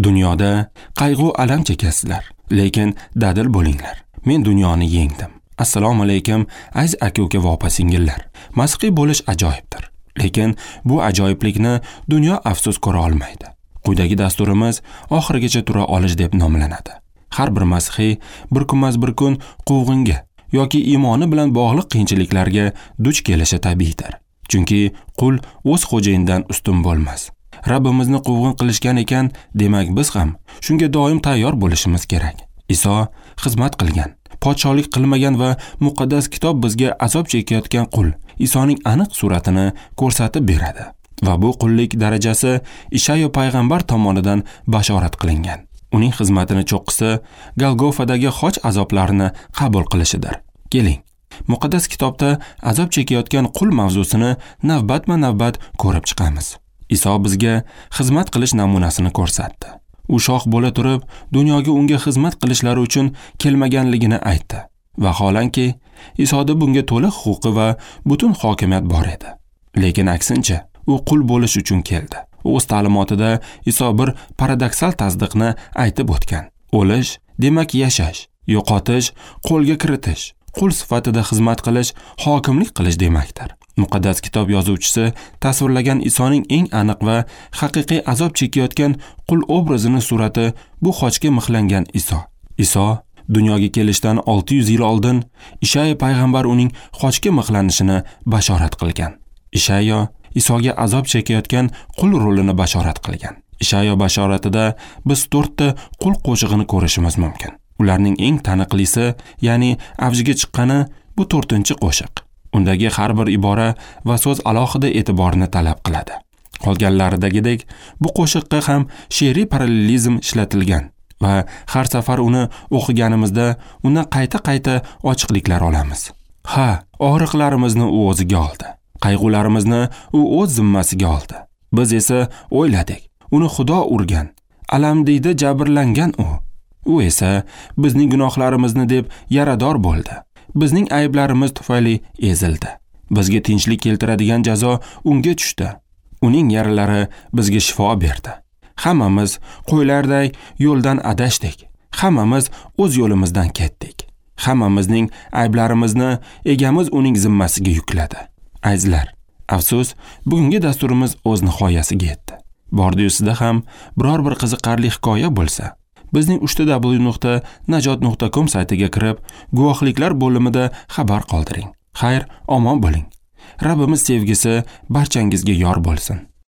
Dunyoda qayg'u alam chekasizlar, lekin dadil bo'linglar. Men dunyoni yengdim. Assalomu alaykum, aziz aka-uka va opa-singillar. Masihiy bo'lish ajoyibdir. Lekin bu ajoyiblikni dunyo afsus ko'ra olmaydi. Quyidagi dasturimiz oxirigacha tura olish deb nomlanadi. Har bir masihiy bir kunmas bir kun quvg'inga yoki iymoni bilan bog'liq qiyinchiliklarga duch kelishi tabiiydir. Chunki qul o'z xo'jayinidan ustun bo'lmas. Rabbimizni quvg'in qilishgan ekan, demak biz ham shunga doim tayyor bo'lishimiz kerak. Iso xizmat qilgan, podsholik qilmagan va muqaddas kitob bizga azob chekayotgan qul Isoning aniq suratini ko'rsatib beradi. Va bu qullik darajasi Ishayo payg'ambar tomonidan bashorat qilingan. Uning xizmatini cho'qqisi Golgofadagi xoch azoblarini qabul qilishidir. Keling, muqaddas kitobda azob chekayotgan qul mavzusini navbatma-navbat ko'rib chiqamiz. Iso bizga xizmat qilish namunasini ko'rsatdi. U shoh bo'la turib, dunyoga unga xizmat qilishlari uchun kelmaganligini aytdi. Vaholanki, Isoda bunga to'liq huquqi va butun hokimiyat bor edi. Lekin aksincha, u qul bo'lish uchun keldi. O'z ta'limotida Iso bir paradoksal tasdiqni aytib o'tgan. O'lish demak yashash, yo'qotish, qo'lga kiritish, qul sifatida xizmat qilish, hokimlik qilish demakdir. Muqaddas kitob yozuvchisi tasvirlagan Isoning eng aniq va haqiqiy azob chekayotgan qul obrazini surati bu xochga mixlangan Iso. Iso dunyoga kelishdan 600 yil oldin Ishayo payg'ambar uning xochga mixlanishini bashorat qilgan. Ishayo Isoga azob chekayotgan qul rolini bashorat qilgan. Ishayo bashoratida biz 4 ta qul qo'shig'ini ko'rishimiz mumkin. Ularning eng taniqlisi, ya'ni avjiga chiqqani bu 4-qo'shiq. Undagi har bir ibora va so'z alohida e'tiborni talab qiladi. Qolganlaridagidek bu qo'shiqqa ham she'riy parallelizm ishlatilgan va har safar uni o'qiganimizda undan qayta-qayta ochiqliklar olamiz. Ha, og'riqlarimizni u o'ziga oldi. Qayg'ularimizni u o'z zimmasiga oldi. Biz esa o'yladik, uni Xudo urgan, alamdiyda jabrlangan u. U esa bizning gunohlarimizni deb yarador bo'ldi. Bizning ayblarimiz tufayli ezildi. Bizga tinchlik keltiradigan jazo unga tushdi. Uning yaralari bizga shifo berdi. Hammamiz qo'ylarday yo'ldan adashdik. Hammamiz o'z yo'limizdan ketdik. Hammamizning ayblarimizni egamiz uning zimmasiga yukladi. Azizlar, afsus, bugungi dasturimiz o'z nihoyasiga yetdi. Bordi-yu sizda ham biror bir qiziqarli hikoya bo'lsa, bizning www.najot.com saytiga kirib, guvohliklar bo'limida xabar qoldiring. Xayr, omon bo'ling. Rabbimiz sevgisi barchangizga yor bo'lsin.